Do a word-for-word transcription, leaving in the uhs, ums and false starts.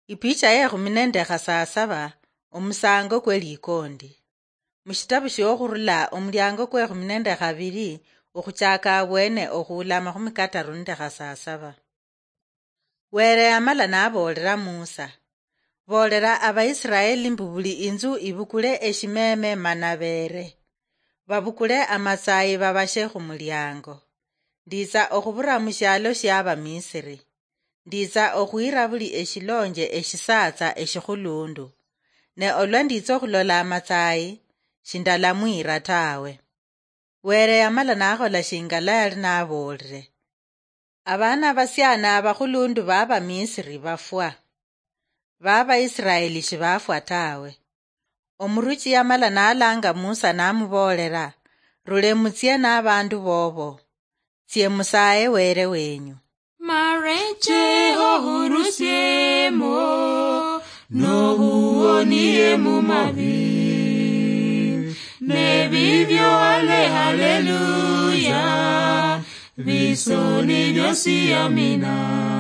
Ipicha yekhumi nende khasasaba. Omusango kwe likondi. Mushitabu shiokhurula omuliango kwekhumi nende khabili, okhuchaka abwene okhuula amakhumi kataru nende khasasaba. Were yamala naboolera Musa, "Boolera Abaisiraeli mbu buli inzu ibukule eshimeme mana beere. Babukule amatsayi babashe khumuliango. Nditsa okhubura mushialo shia Bamisiri. Nditsa okhwira buli eshilonje eshisatsa eshikhulundu. Ne olwa nditsa okhulola amatsayi, shindalamwira tawe." Were yamala nakhola shingala yali naboolere. Abaana abasiani abakhulundu ba Bamisiri bafwa. Ba Baisiraeli shibafwa tawe. Omuruchi yamala nalanga Musa namuboolera, "Rule mutsie nabandu bobo. Tsie musaye Were wenyu." Mareche ohurusiemo, nohuonie mumabi. Nebibyo ale haleluya, bisoni byosi amina.